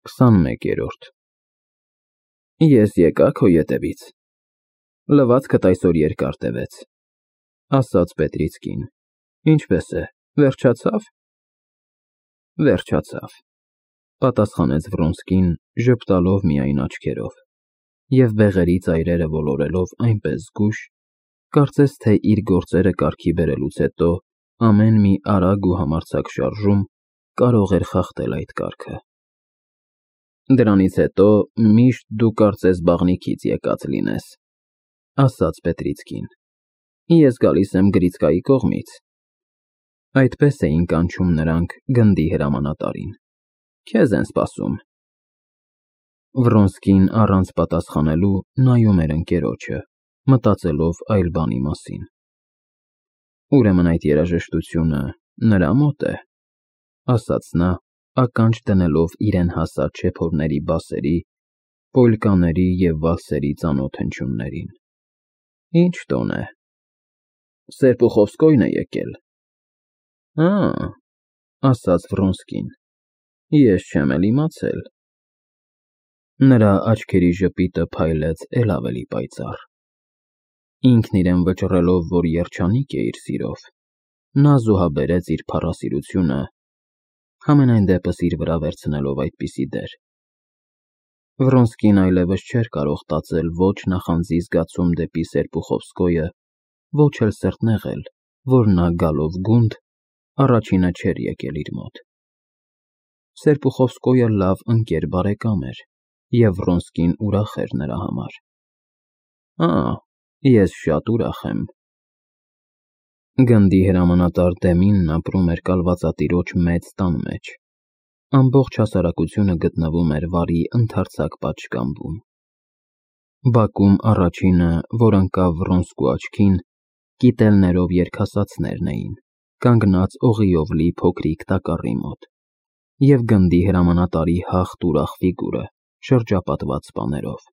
21-րդ Ես եկա քո ետևից, լվացքդ այսօր երկար տևեց, ասաց Պետրից կին, ինչպես է, վերջացավ։ Վերջացավ, պատասխանեց Վրոնսկին, ժպտալով միայն աչքերով, և բեղերի ծայրերը ոլորելով այնպես զգույշ, կարծես թե իր գործերը կարգի բերելուց հետո ամեն մի արագ ու համարձակ շարժում կարող էր խախտել այդ կարգը։ Դրանից հետո միշտ դու կարծես բաղնիքից եկած լինես, ասաց Պետրից կին, ես գալիս եմ Գրիցկայի կողմից։ Այդպես էին կանչում նրանք գնդի հրամանատարին, քեզ են սպասում։ Վրոնսկին առանց պատասխանելու նայում էր ընկերոջը, մտածելով այլ բանի մասին։ Ուրեմն այդ երաժշտությունը նրա մոտ է, ասաց նա, ականջ դնելով իրեն հասած շեփորների բասերի, պոլկաների և վալսերի ծանոթ հնչյուններին։ Ինչ տոն է։ Սերպուխովսկոյն է եկել։ Ասաց Վրոնսկին, ես չեմ էլ իմացել։ Նրա աչքերի ժպիտը փայլեց էլ ավելի պայծառ։ Ինքն իրեն վճռելով, որ երջանիկ է իր սիրով, նա զոհաբերեց իր փառասիրությունը, համենայն դեպս իր վրա վերցնելով այդպիսի դեր։ Վրոնսկին այլևս չէր կարող տածել ոչ նախանձի զգացում դեպի Սերպուխովսկոյը, ոչ էլ սրտնեղել, որ նա գալով գունդ, առաջինը չէր եկել իր մոտ։ Սերպուխովսկոյը լավ ընկեր բարեկամ էր, և Վրոնսկին ուրախ էր նրա համար։ Ես շատ ուրախ եմ։ Գնդի հրամանատար Դեմինն ապրում էր կալվածատիրոջ մեծ տան մեջ։ Ամբողջ հասարակությունը գտնվում էր վարի ընդարձակ պատշգամբում։ Բակում առաջինը, որ ընկավ Վրոնսկու աչքին, կիտելներով երգասացներն էին, կանգնած օղիով լի փոքրիկ տակառի մոտ, և գնդի հրամանատարի հախտ ուրախ ֆիգուրը, շրջապատված սպաներով։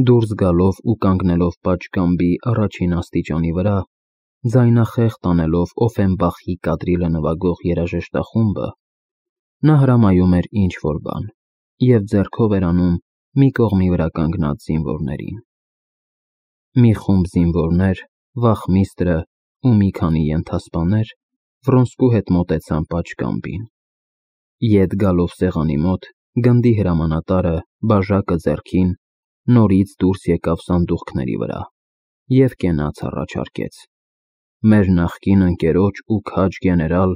Դուրս գալով ու կանգնելով պատշգամբի առաջին աստիճանի վրա, ձայնախեղ տանելով Օֆենբախի կադրիլը նվագող երաժշտախումբը, նա հրամայում էր ինչ-որ բան և ձեռքով էր անում մի կողմի վրա կանգնած զինվորներին։ Մի խումբ զինվորներ, վախմիստրը ու մի քանի ենթասպաներ Վրոնսկու հետ մոտեցան պատշգամբին։ Ետ գալով սեղանի մոտ, գնդի հրամանատարը, բաժակը ձեռքին, նորից դուրս եկավ սանդուղքների վրա և կենաց առաջարկեց. մեր նախկին ընկերոջ ու քաջ գեներալ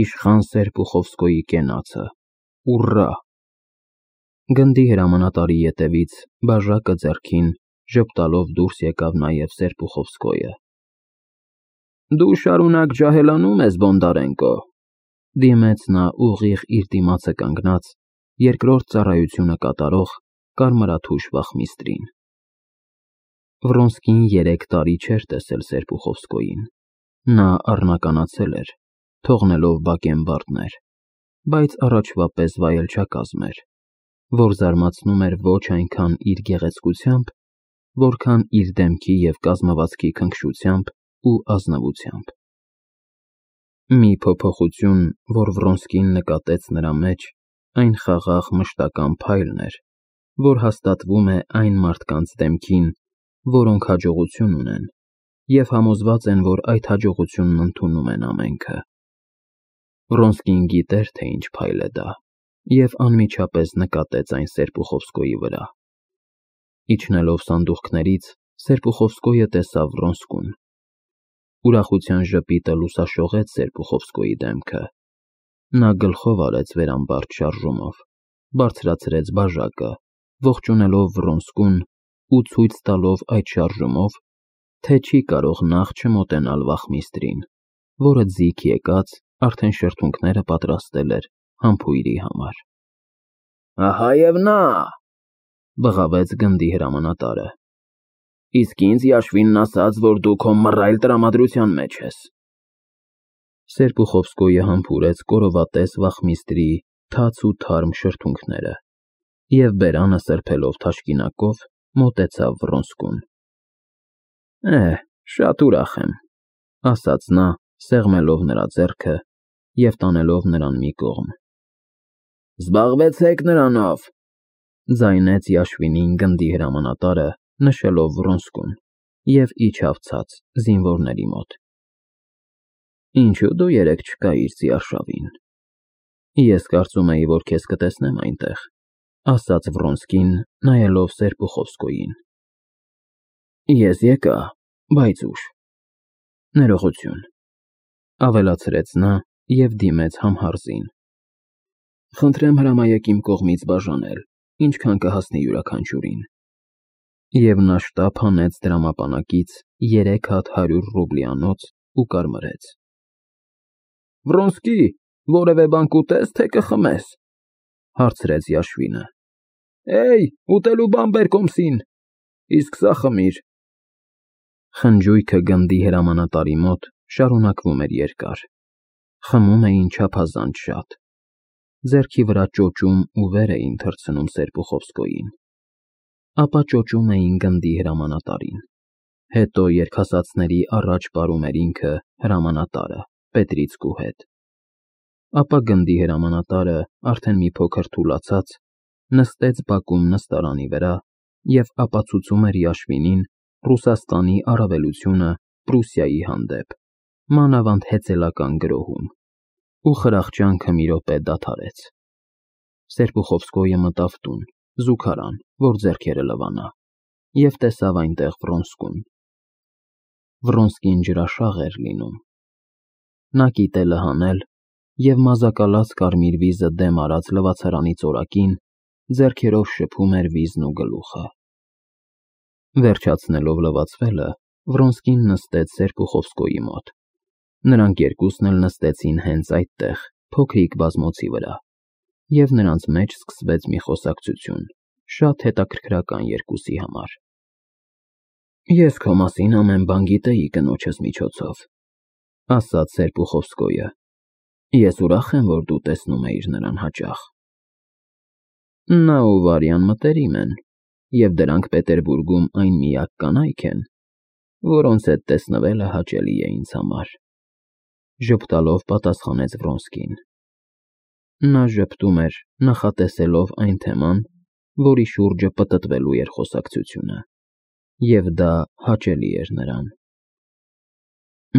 իշխան Սերպուխովսկոյի կենացը, ուռա։ Գնդի հրամանատարի ետևից, բաժակը ձեռքին, ժպտալով դուրս եկավ նաև Սերպուխովսկոյը։ Դու շարունակ ջահելանում ես, Բոնդարենկո, դիմեց նա ուղիղ իր դիմացը կանգնած, երկրորդ ծառայությունը կատարող կարմրաթուշ վախմիստրին։ Վրոնսկին 3 տարի չէր տեսել Սերպուխովսկոյին։ Նա առնականացել էր, թողնելով բակենբարդներ, բայց առաջվա պես վայելչակազմ էր, որ զարմացնում էր ոչ այնքան իր գեղեցկությամբ, որքան իր դեմքի և կազմվածքի քնքշությամբ ու ազնվությամբ։ Մի փոփոխություն, որ Վրոնսկին նկատեց նրա մեջ, այն խաղաղ մշտական փայլն էր, որ հաստատվում է այն մարդկանց դեմքին, որոնք հաջողություն ունեն և համոզված են, որ այդ հաջողությունն ընդունում են ամենքը։ Վրոնսկին գիտեր, թե ինչ փայլ է դա, և անմիջապես նկատեց այն Սերպուխովսկոյի վրա։ Իջնելով սանդուղքներից, Սերպուխովսկոյը տեսավ Վրոնսկուն։ Ուրախության ժպիտը լուսաշողեց Սերպուխովսկոյի դեմքը։ Նա գլխով արեց վերամբարձ շարժումով, բարձրացրեց բաժակը, ողջունելով Վրոնսկուն ու ցույց տալով այդ շարժումով, թե չի կարող նախ չմոտենալ վախմիստրին, որը ձիգ եկած, արդեն շրթունքները պատրաստել էր համբույրի համար։ Ահա և նա, բղավեց գնդի հրամանատարը։ Իսկ ինձ Յաշվինն ասաց, որ դու քո մռայլ տրամադրության մեջ ես։ Սերպուխովսկոյը համբուրեց կորովատես վախմիստրի թաց ու թարմ շրթունքները և բերանը սրբելով թաշկինակով մոտեցավ Վրոնսկուն։ Շատ ուրախ եմ, ասաց նա, սեղմելով նրա ձեռքը և տանելով նրան մի կողմ։ Զբաղվեցեք նրանով, ձայնեց Յաշվինին գնդի հրամանատարը, նշելով Վրոնսկուն, և իջավ ցած զինվորների մոտ։ Ինչու դու երեկ չկայիր Զիարշավին։ Ես կարծում էի, որ քեզ կտեսնեմ այնտեղ, ասաց Վրոնսկին, նայելով Սերպուխովսկոյին։ Ես եկա, բայց ուշ։ Ներողություն, ավելացրեց նա և դիմեց Համհարզին։ Խնդրեմ հրամայեք իմ կողմից բաժանել, ինչքան կհասնի յուրաքանչյուրին։ Եվ նա շտապ հանեց դրամապանակից 3 հատ 100 ռուբլյանոց ու կարմրեց։ Վրոնսկի, որևէ բան կուտես, թե կխմես, հարցրեց Յաշվինը։ Էյ, ուտելու բան բեր կոմսին, իսկ սա խմիր։ Խնջույքը գնդի հրամանատարի մոտ շարունակվում էր երկար։ Խմում էին չափազանց շատ։ Ձեռքի վրա ճոճում ու վեր էին թռցնում Սերպուխովսկոյին։ Ապա ճոճում էին գնդի հրամանատարին։ Հետո երգասացների առաջ պարում էր ինքը հրամանատարը, Պետրիցկու հետ։ Ապա գնդի հրամանատարը, արդեն մի փոքր թուլացած, նստեց բակում նստարանի վրա և ապացուցում էր Յաշվինին Ռուսաստանի առավելությունը Պրուսիայի հանդեպ, մանավանդ հեծելական գրոհում, ու խրախճանքը մի րոպե դադարեց։ Սերպուխովսկոյը մտավ տուն, զուգարան, որ ձեռքերը լվանա, և տեսավ այնտեղ Վրոնսկուն։ Վրոնսկին ջրաշաղ էր լինում։ Նա կիտելը հանել և մազակալած կարմիր վիզը դեմ արած լվացարանի ծորակին ձեռքերով շփում էր վիզն ու գլուխը։ Վերջացնելով լվացվելը, Վրոնսկին նստեց Սերպուխովսկոյի մոտ։ Նրանք երկուսն էլ նստեցին հենց այդտեղ, փոքրիկ բազմոցի վրա, և նրանց մեջ սկսվեց մի խոսակցություն, շատ հետաքրքրական երկուսի համար։ Ես քո մասին ամեն բան գիտեի կնոջս միջոցով, ասաց Սերպուխովսկոյը։ Ես ուրախ եմ, որ դու տեսնում էիր նրան հաճախ։ Նա ու Վարյան մտերիմ են, և դրանք Պետերբուրգում այն միակ կանայք են, որոնց հետ տեսնվելը հաճելի է ինձ համար, ժպտալով պատասխանեց Վրոնսկին։ Նա ժպտում էր, նախատեսելով այն թեման, որի շուրջը պտտվելու էր խոսակցությունը, և դա հաճելի էր նրան։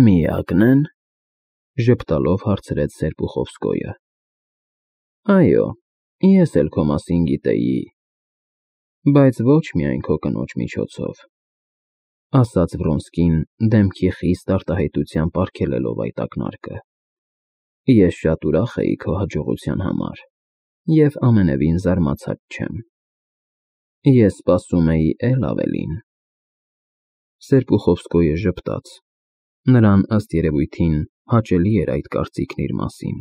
Միակն են, ժպտալով հարցրեց Սերպուխովսկոյը։ Այո, ես էլ քո մասին գիտեի, բայց ոչ միայն քո կնոջ միջոցով, ասաց Վրոնսկին, դեմքի խիստ արտահայտությամբ արգելելով այդ ակնարկը։ Ես շատ ուրախ էի քո հաջողության համար և ամենևին զարմացած չեմ։ Ես սպասում էի էլ ավելին։ Սերպուխովսկոյը ժպտաց։ Նրան, ըստ երևույթին, հաճելի էր այդ կարծիքն իր մասին,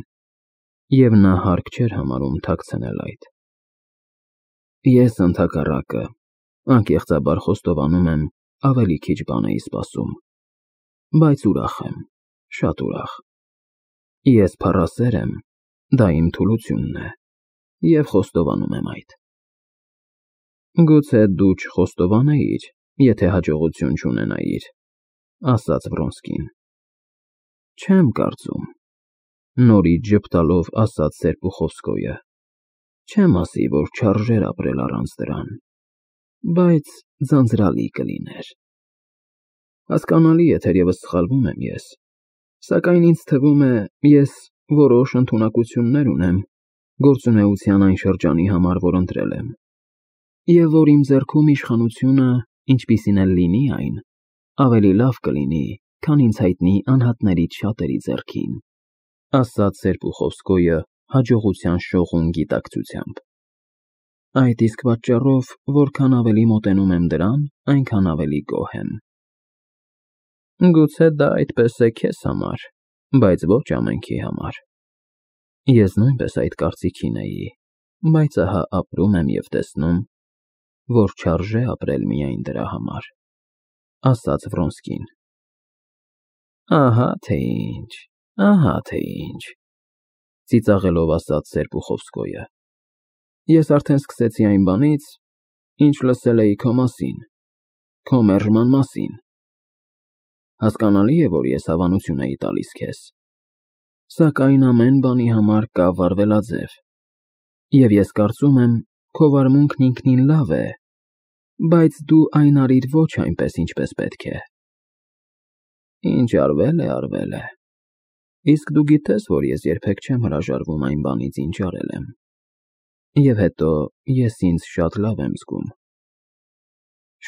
և նա հարկ չէր համարում թաքցնել այդ։ Ես ընդհակառակը, անկեղծաբար խոստովանում եմ, ավելի քիչ բան էի սպասում, բայց ուրախ եմ, շատ ուրախ։ Ես փառասեր եմ, դա իմ թուլությունն է, և խոստովանում եմ այդ։ Գուցե դու չխոստովանեիր, եթե հաջողություն չունենայիր, ասաց Վրոնսկին։ Չեմ կարծում, նորից ժպտալով ասաց Սերպուխովսկոյը։ Չեմ ասի, որ չարժեր ապրել առանց դրան, բայց ձանձրալի կլիներ։ Հասկանալի է, թերևս սխալվում եմ ես, սակայն ինձ թվում է, ես որոշ ընդունակություններ ունեմ գործունեության այն շրջանի համար, որ ընտրել եմ, և որ իմ ձեռքում իշխանությունը, ինչպիսին էլ լինի այն, ավելի լավ կլինի, քան ինձ հայտնի անհատներից շատերի ձեռքին, ասաց Սերպուխովսկոյը հաջողության շողուն գիտակցությամբ։ Այդ իսկ պատճառով, որքան ավելի մոտենում եմ դրան, այնքան ավելի գոհ եմ։ Գուցե դա այդպես է քեզ համար, բայց ոչ ամենքի համար։ Ես նույնպես այդ կարծիքին էի, բայց ահա ապրում եմ և տեսնում, որ չարժե ապրել միայն դրա համար, ասաց Վրոնսկին։ Ահա թե ինչ, ծիծաղելով ասաց Սերպուխովսկոյը։ Ես արդեն սկսեցի այն բանից, ինչ լսել էի քո մասին, քո մերժման մասին։ Հասկանալի է, որ ես հավանություն էի տալիս քեզ, սակայն ամեն բանի համար կա վարվելաձև։ Եվ ես կարծում եմ, քո վարմունքն ինքնին լավ է, բայց դու այն արիր ոչ այնպես, ինչպես պետք է։ Ինչ արվել է, արվել է։ Իսկ դու գիտես, որ ես երբեք չեմ հրաժարվում այն բանից, ինչ արել եմ։ Եվ հետո ես ինձ շատ լավ եմ զգում։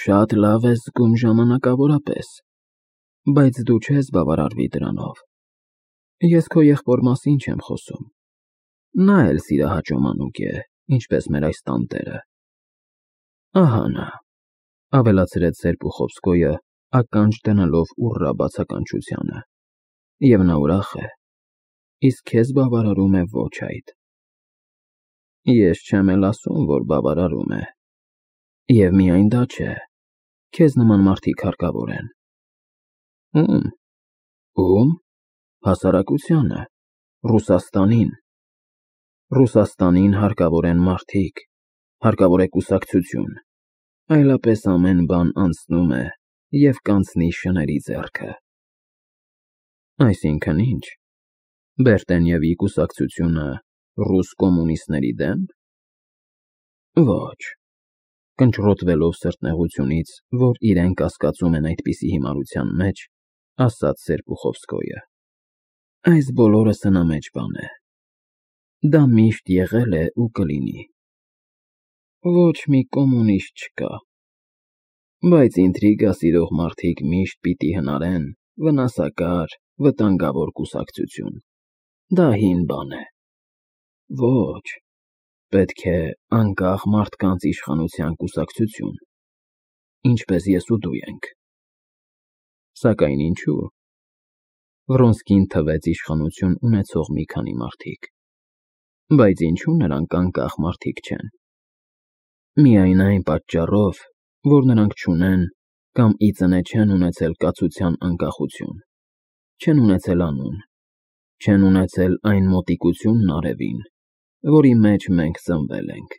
Շատ լավ ես զգում ժամանակավորապես, բայց դու չես բավարարվի դրանով։ Ես քո եղբոր մասին չեմ խոսում։ Նա էլ սիրահաճո մանուկ է, ինչպես մեր այս տանտերը։ Ահա նա, ավելացրեց Սերպուխովսկոյը, ականջ դնելով ուռռա բացականչությանը։ Եվ նա ուրախ է, իսկ քեզ բավարարում է ոչ այդ։ Ես չեմ էլ ասում, որ բավարարում է։ Եվ միայն դա չէ, քեզ նման մարդիկ հարկավոր են։ Ում? Հասարակությանը, Ռուսաստանին։ Ռուսաստանին հարկավոր են մարդիկ, հարկավոր է կուսակցություն, այլապես ամեն բան անցնում է և կանցնի շների ձեռքը։ Այսինքն ինչ, Բերտենևի կուսակցությունը ռուս կոմունիստների դեմ։ Ոչ, կնճռոտվելով սրտնեղությունից, որ իրեն կասկածում են այդպիսի հիմարության մեջ, ասաց Սերպուխովսկոյը։ Այս բոլորը սնամեջ բան է։ Դա միշտ եղել է ու կլինի։ Ոչ մի կոմունիստ չկա։ Բայց ինտրիգա սիրող մարդիկ միշտ պիտի հնարեն վնասակար, վտանգավոր կուսակցություն։ Դա հին բան է։ Ոչ, պետք է անկախ մարդկանց իշխանության կուսակցություն, ինչպես ես ու դու ենք։ Սակայն ինչու՞։ Վրոնսկին թվեց իշխանություն ունեցող մի քանի մարդիկ։ Բայց ինչու նրանք անկախ մարդիկ չեն։ Միայն այն պատճառով, որ նրանք չունեն կամ ի ծնե չեն ունեցել կացության անկախություն, չեն ունեցել անուն, չեն ունեցել այն մոտիկությունն արևին, որի մեջ մենք ծնվել ենք։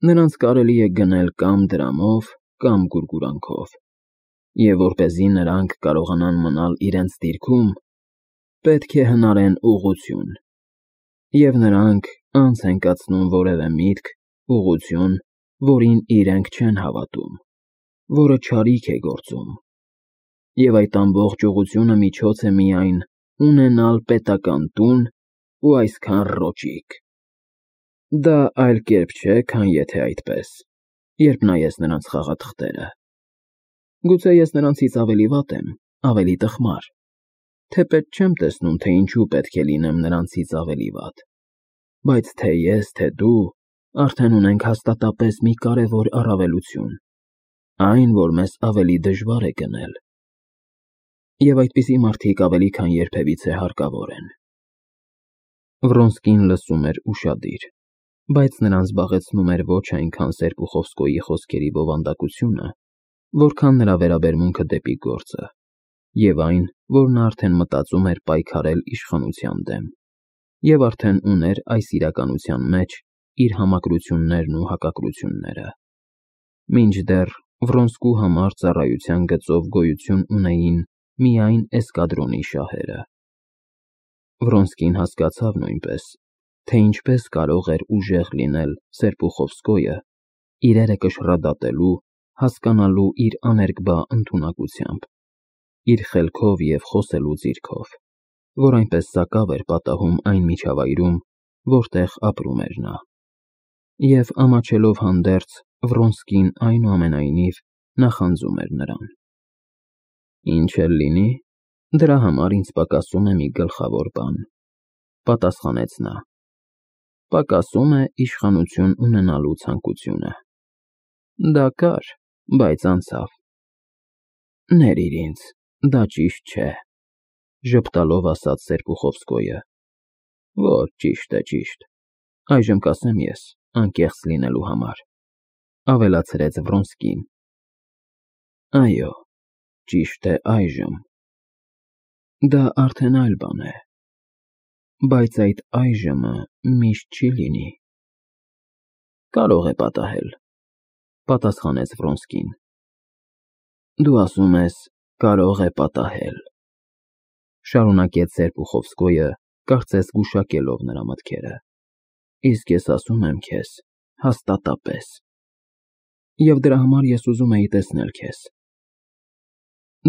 Նրանց կարելի է գնել կամ դրամով, կամ գուրգուրանքով, և որպեսզի նրանք կարողանան մնալ իրենց դիրքում, պետք է հնարեն ուղղություն, և նրանք անց են կացնում որևէ միտք, ուղղություն, որին իրենք չեն հավատում, որը չարիք է գործում, և այդ ամբողջ ուղղությունը միջոց է միայն ունենալ պետական տուն ու այսքան ռոճիկ։ Դա այլ կերպ չէ, քան եթե այդպես, երբ նայես նրանց խաղաթղթերը։ Գուցե ես նրանցից ավելի վատ եմ, ավելի տխմար, թեպետ չեմ տեսնում, թե ինչու պետք է լինեմ նրանցից ավելի վատ, բայց թե ես, թե դու արդեն ունենք հաստատապես մի կարևոր առավելություն, այն, որ մեզ ավելի դժվար է գնել։ Եվ այդպիսի մարդիկ ավելի քան երբևիցե հարկավոր են։ Վրոնսկին լսում էր ուշադիր, բայց նրան զբաղեցնում էր ոչ այնքան Սերպուխովսկոյի խոսքերի բովանդակությունը, որքան նրա վերաբերմունքը դեպի գործը, և այն, որ նա արդեն մտածում էր պայքարել իշխանության դեմ, և արդեն ուներ այս իրականության մեջ իր համակրություններն ու հակակրությունները։ Մինչդեռ Վրոնսկու համար ծառայության գծով գոյություն ունեին միայն էսկադրոնի շահերը։ Վրոնսկին հասկացավ նույնպես, թե ինչպես կարող էր ուժեղ լինել Սերպուխովսկոյը իրերը կշռադատելու, հասկանալու իր աներկբա ընդունակությամբ, իր խելքով և խոսելու ձիրքով, որ այնպես սակավ էր պատահում այն միջավայրում, որտեղ ապրում էր նա։ Եվ ամաչելով հանդերձ, Վրոնսկին այնուամենայնիվ նախանձում էր նրան։ Ինչ էլ լինի, դրա համար ինձ պակասում է մի գլխավոր բան, պատասխանեց նա։ Պակասում է իշխանություն ունենալու ցանկությունը։ Դա կար, բայց անցավ։ Ներիր ինձ, դա ճիշտ չէ, ժպտալով ասաց Սերպուխովսկոյը։ Ոչ, ճիշտ է, ճիշտ։ Այժմ կասեմ ես, անկեղծ լինելու համար, ավելացրեց Վրոնսկին։ Այո, ճիշտ է այժմ։ Դա արդեն այլ բան է, բայց այդ այժմը միշտ չի լինի։ Կարող է պատահել, պատասխանեց Վրոնսկին։ Դու ասում ես, կարող է պատահել, շարունակեց Սերպուխովսկոյը, կարծես գուշակելով նրա մտքերը։ Իսկ ես ասում եմ քեզ, հաստատապես։ Եվ դրա համար ես ուզում էի տեսնել քեզ։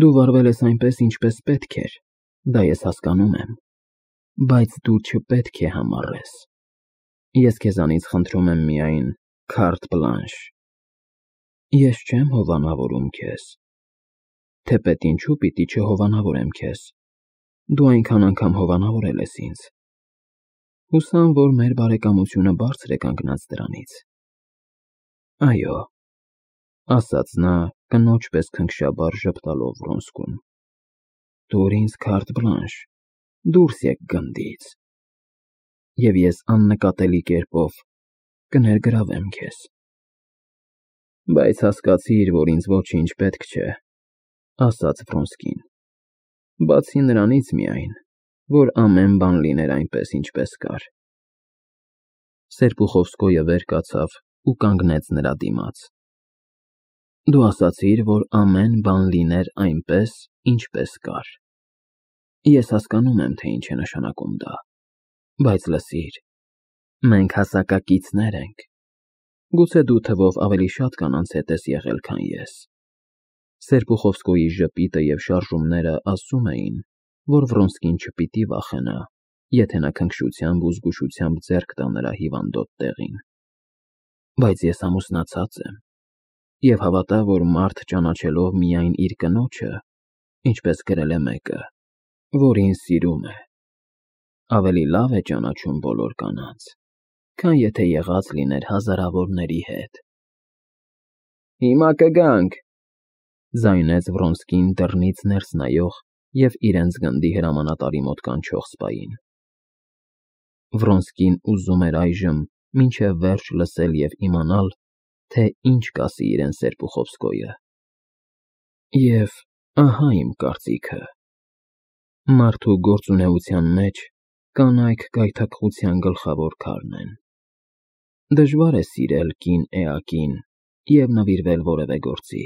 Դու վարվել ես այնպես, ինչպես պետք էր, դա ես հասկանում եմ, բայց դու չպետք է համառես։ Ես քեզանից խնդրում եմ միայն carte blanche։ Ես չեմ հովանավորում քեզ։ Թեպետ ինչու պիտի չհովանավորեմ քեզ։ Դու այնքան անգամ հովանավորել ես ինձ։ Հուսամ, որ մեր բարեկամությունը բարձր է կանգնած դրանից։ Այո, ասաց նա կնոջ պես քնքշաբար ժպտալով Վրոնսկուն։ Տուր ինձ carte blanche, դուրս եկ գնդից, և ես աննկատելի կերպով կներգրավեմ քեզ։ Բայց հասկացիր, որ ինձ ոչինչ պետք չէ, ասաց Վրոնսկին, բացի նրանից միայն, որ ամեն բան լիներ այնպես, ինչպես կար։ Սերպուխովսկոյը վեր կացավ ու կանգնեց նրա դիմաց։ Դու ասացիր, որ ամեն բան լիներ այնպես, ինչպես կար։ Ես հասկանում եմ, թե ինչ է նշանակում դա, բայց լսիր, մենք հասակակիցներ ենք։ Գուցե դու թվով ավելի շատ կանանց հետ ես եղել, քան ես։ Սերպուխովսկոյի ժպիտը և շարժումները ասում էին, որ Վրոնսկին չպիտի վախենա, եթե նա քնքշությամբ ու զգուշությամբ ձեռք տա նրա հիվանդոտ տեղին։ Բայց ես ամուսնացած եմ, և հավատա, որ մարդ ճանաչելով միայն իր կնոջը, ինչպես գրել է մեկը, որ ինձ սիրում է, ավելի լավ է ճանաչում բոլոր կանանց, քան եթե եղած լիներ հազարավորների հետ։ Հիմա կգանք, ձայնեց Վրոնսկին դռնից ներս նայող և իրենց գնդի հրամանատարի մոտ կանչող սպային։ Վրոնսկին ուզում էր այժմ մինչև վերջ լսել և իմանալ, թե ինչ կասի իրեն Սերպուխովսկոյը։ Եվ ահա իմ կարծիքը. մարդու գործունեության մեջ կանայք գայթակղության գլխավոր քարն են։ Դժվար է սիրել կին էակին և նվիրվել որևէ գործի։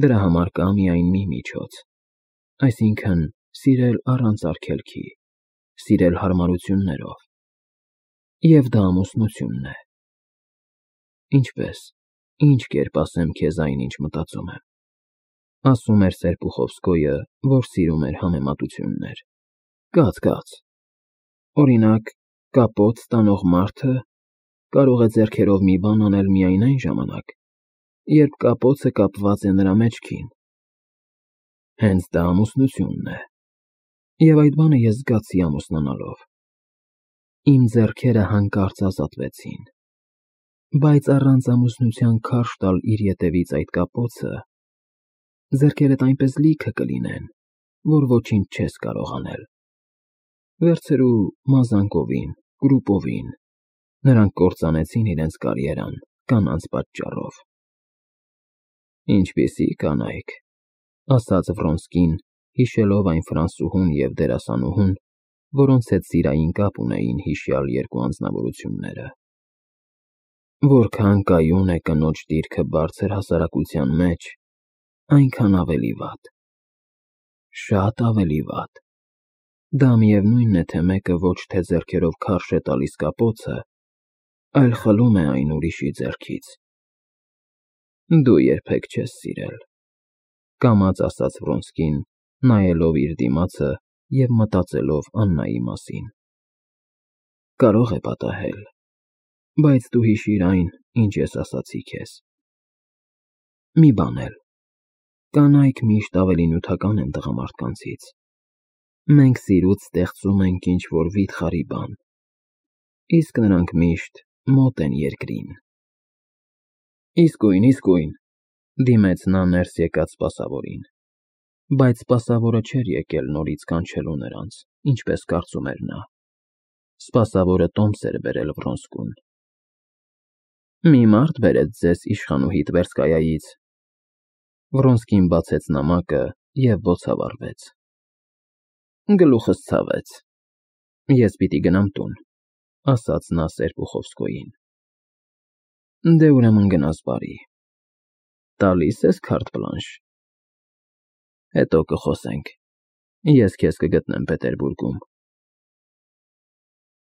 Դրա համար կա միայն մի միջոց, այսինքն սիրել առանց արգելքի, սիրել հարմարություններով, և դա ամուսնությունն է։ Ինչպես, ինչ կերպ ասեմ քեզ այն, ինչ մտածում եմ։ Ասում էր Սերպուխովսկոյը, որ սիրում էր համեմատություններ։ Կաց։ Օրինակ, կապոց տանող մարդը կարող է ձեռքերով մի բան անել միայն այն ժամանակ, երբ կապոցը կապված է նրա մեջքին։ Հենց դա ամուսնությունն է, և այդ բանը ես զգացի ամուսնանալով։ Իմ ձեռքերը հանկարծ ազատվեցին, բայց առանց ամուսնության քարշ տալ իր ետևից այդ կապոցը, ձեռքերդ այնպես լիքը կլինեն, որ ոչինչ չես կարող անել։ Վերցրու մազանկովին, կրուպովին, նրանք կործանեցին իրենց կարիերան կանանց պատճառով։ Ինչպիսի կանայք, ասաց Վրոնսկին, հիշելով այն ֆրանսուհուն և դերասանուհուն, որոնց հետ սիրային կապ ունեին հիշյալ երկու անձնավորությունները։ Որքան կայուն է կնոջ դիրքը բարձր հասարակության մեջ, այնքան ավելի վատ։ Շատ ավելի վատ։ Դա միևնույն է, թե մեկը ոչ թե ձեռքերով քարշ է տալիս կապոցը, այլ խլում է այն ուրիշի ձեռքից։ Դու երբեք չես սիրել, կամաց ասաց Վրոնսկին, նայելով իր դիմացը և մտածելով Աննայի մասին։ Կարող է պատահել, բայց դու հիշիր այն, ինչ ես ասացի քեզ։ Մի բան էլ, կանայք միշտ ավելի նյութական են տղամարդկանցից։ Մենք սիրուց ստեղծում ենք ինչ-որ վիթխարի բան, իսկ նրանք միշտ մոտ են երկրին։ Իսկույն, դիմեց նա ներս եկած սպասավորին, բայց սպասավորը չէր եկել նորից կանչելու նրանց, ինչպես կարծում էր նա։ Սպասավորը տոմս էր բերել Վրոնսկուն։ Մի մարդ բերեց ձեզ իշխանուհի Տվերսկայայից։ Վրոնսկին բացեց նամակը և բոցավառվեց։ Գլուխս ցավեց։ Ես պիտի գնամ տուն, ասաց նա Սերպուխովսկոյին։ Դե ուրեմն գնաս բարի։ Տալի՞ս ես carte blanche։ Հետո կխոսենք։ Ես քեզ կգտնեմ Պետերբուրգում։